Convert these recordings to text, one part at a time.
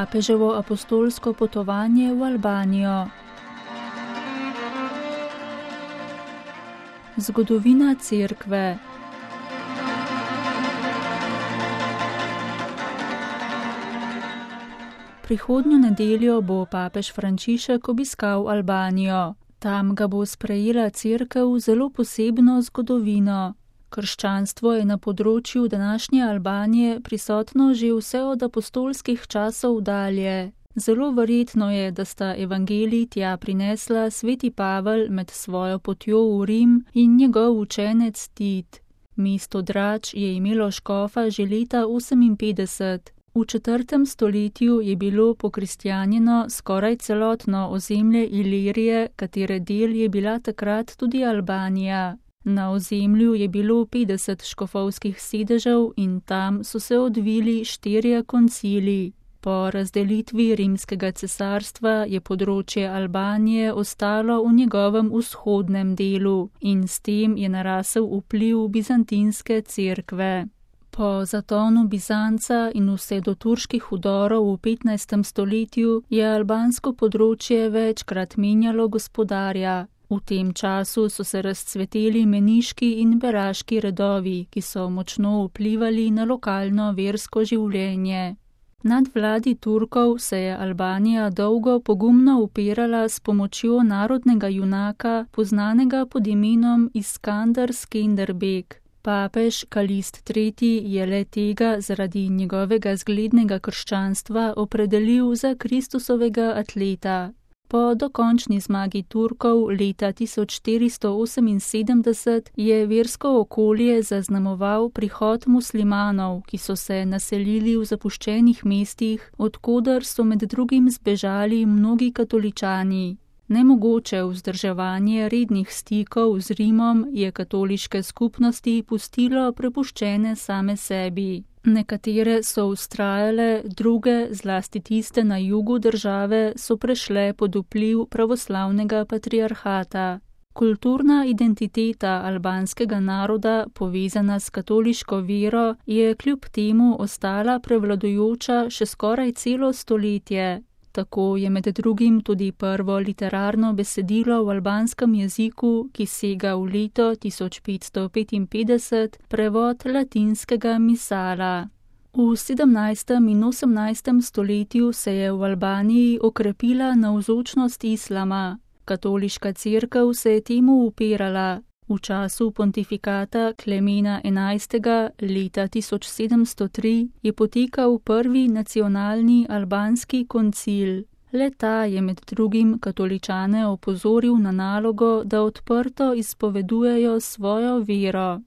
papeževo apostolsko potovanje v Albanijo. Zgodovina cerkve. Prihodnjo nedeljo bo papež Frančišek obiskal Albanijo. Tam ga bo sprejela cerkev z zelo posebno zgodovino. Krščanstvo je na področju današnje Albanije prisotno že vse od apostolskih časov dalje. Zelo verjetno je, da sta evangelij tja prinesla sveti Pavel med svojo potjo v Rim in njegov učenec Tit. Mesto Drač je imelo škofa že leta 58. V 4. stoletju je bilo pokristjanjeno skoraj celotno ozemlje Ilirije, katere del je bila takrat tudi Albanija. Na ozemlju je bilo 50 škofovskih sedežev in tam so se odvili 4 koncili. Po razdelitvi rimskega cesarstva je področje Albanije ostalo v njegovem vzhodnem delu in s tem je narasel vpliv bizantinske cerkve. Po zatonu Bizanca in vse do turških vdorov v 15. stoletju je albansko področje večkrat menjalo gospodarja. V tem času so se razcveteli meniški in beraški redovi, ki so močno vplivali na lokalno versko življenje. Nad vladi Turkov se je Albanija dolgo pogumno upirala s pomočjo narodnega junaka, poznanega pod imenom Iskandar Skenderbeg. Papež Kalist III. Je le tega zaradi njegovega zglednega krščanstva opredelil za Kristusovega atleta. Po dokončni zmagi Turkov leta 1478 je versko okolje zaznamoval prihod muslimanov, ki so se naselili v zapuščenih mestih, od koder so med drugim zbežali mnogi katoličani. Nemogoče vzdrževanje rednih stikov z Rimom je katoliške skupnosti pustilo prepuščene same sebi. Nekatere so vztrajale, druge, zlasti tiste na jugu države, so prešle pod vpliv pravoslavnega patriarhata. Kulturna identiteta albanskega naroda, povezana s katoliško vero, je kljub temu ostala prevladujoča še skoraj celo stoletje. Tako je med drugim tudi prvo literarno besedilo v albanskem jeziku, ki sega v leto 1555, prevod latinskega misala. V 17. in 18. stoletju se je v Albaniji okrepila navzočnost islama. Katoliška cerkev se je temu upirala. V času pontifikata Klemena XI. Leta 1703 je potekal prvi nacionalni albanski koncil. Le-ta je med drugim katoličane opozoril na nalogo, da odprto izpovedujejo svojo vero.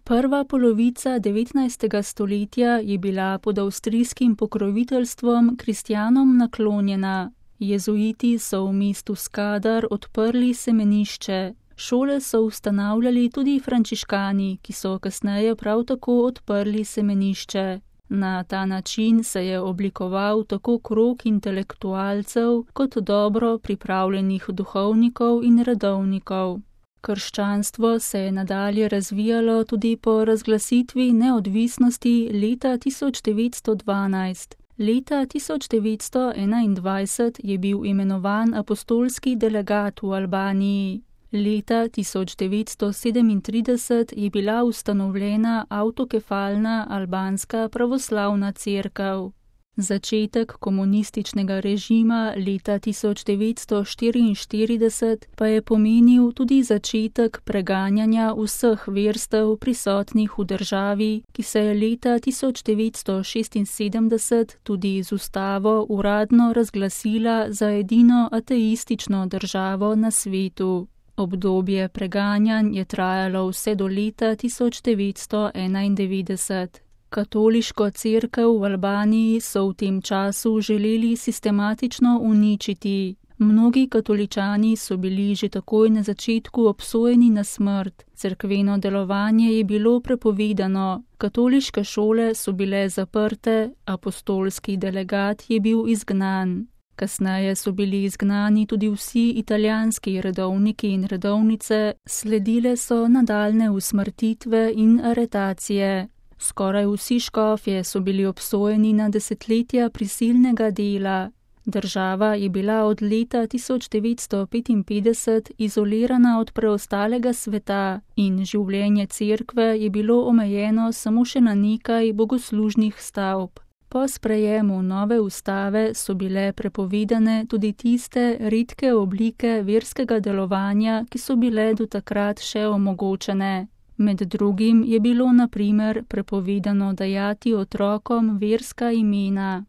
Prva polovica 19. stoletja je bila pod avstrijskim pokroviteljstvom kristjanom naklonjena. Jezuiti so v mestu Skadar odprli semenišče. Šole so ustanavljali tudi frančiškani, ki so kasneje prav tako odprli semenišče. Na ta način se je oblikoval tako krog intelektualcev kot dobro pripravljenih duhovnikov in redovnikov. Krščanstvo se je nadalje razvijalo tudi po razglasitvi neodvisnosti leta 1912. Leta 1921 je bil imenovan apostolski delegat v Albaniji. Leta 1937 je bila ustanovljena avtokefalna albanska pravoslavna cerkev. Začetek komunističnega režima leta 1944 pa je pomenil tudi začetek preganjanja vseh verstev prisotnih v državi, ki se je leta 1976 tudi z ustavo uradno razglasila za edino ateistično državo na svetu. Obdobje preganjanj je trajalo vse do leta 1991. Katoliško cerkev v Albaniji so v tem času želeli sistematično uničiti. Mnogi katoličani so bili že takoj na začetku obsojeni na smrt. Cerkveno delovanje je bilo prepovedano, katoliške šole so bile zaprte, apostolski delegat je bil izgnan. Kasneje so bili izgnani tudi vsi italijanski redovniki in redovnice, sledile so nadaljne usmrtitve in aretacije. Skoraj vsi škofje so bili obsojeni na desetletja prisilnega dela. Država je bila od leta 1955 izolirana od preostalega sveta in življenje cerkve je bilo omejeno samo še na nekaj bogoslužnih stavb. Po sprejemu nove ustave so bile prepovedane tudi tiste redke oblike verskega delovanja, ki so bile do takrat še omogočene. Med drugim je bilo na primer prepovedano dajati otrokom verska imena.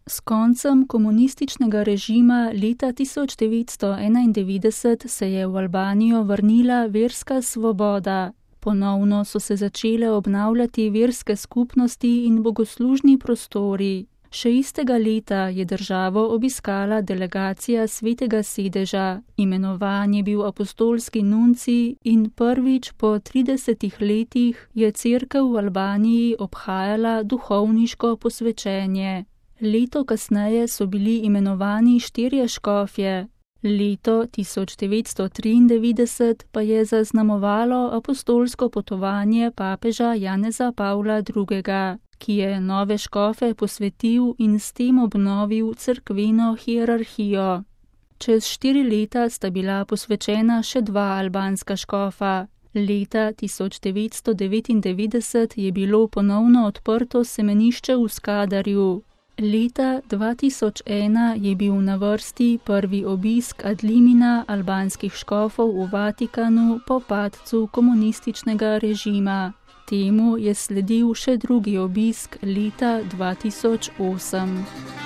S koncem komunističnega režima leta 1991 se je v Albanijo vrnila verska svoboda. Ponovno so se začele obnavljati verske skupnosti in bogoslužni prostori. Še istega leta je državo obiskala delegacija Svetega sedeža, imenovan je bil apostolski nuncij in prvič po 30 letih je cerkev v Albaniji obhajala duhovniško posvečenje. Leto kasneje so bili imenovani 4 škofje. Leto 1993 pa je zaznamovalo apostolsko potovanje papeža Janeza Pavla II., ki je nove škofe posvetil in s tem obnovil cerkveno hierarhijo. Čez 4 leta sta bila posvečena še 2 albanska škofa. Leta 1999 je bilo ponovno odprto semenišče v Skadarju. Leta 2001 je bil na vrsti prvi obisk ad limina albanskih škofov v Vatikanu po padcu komunističnega režima. Temu je sledil še drugi obisk leta 2008.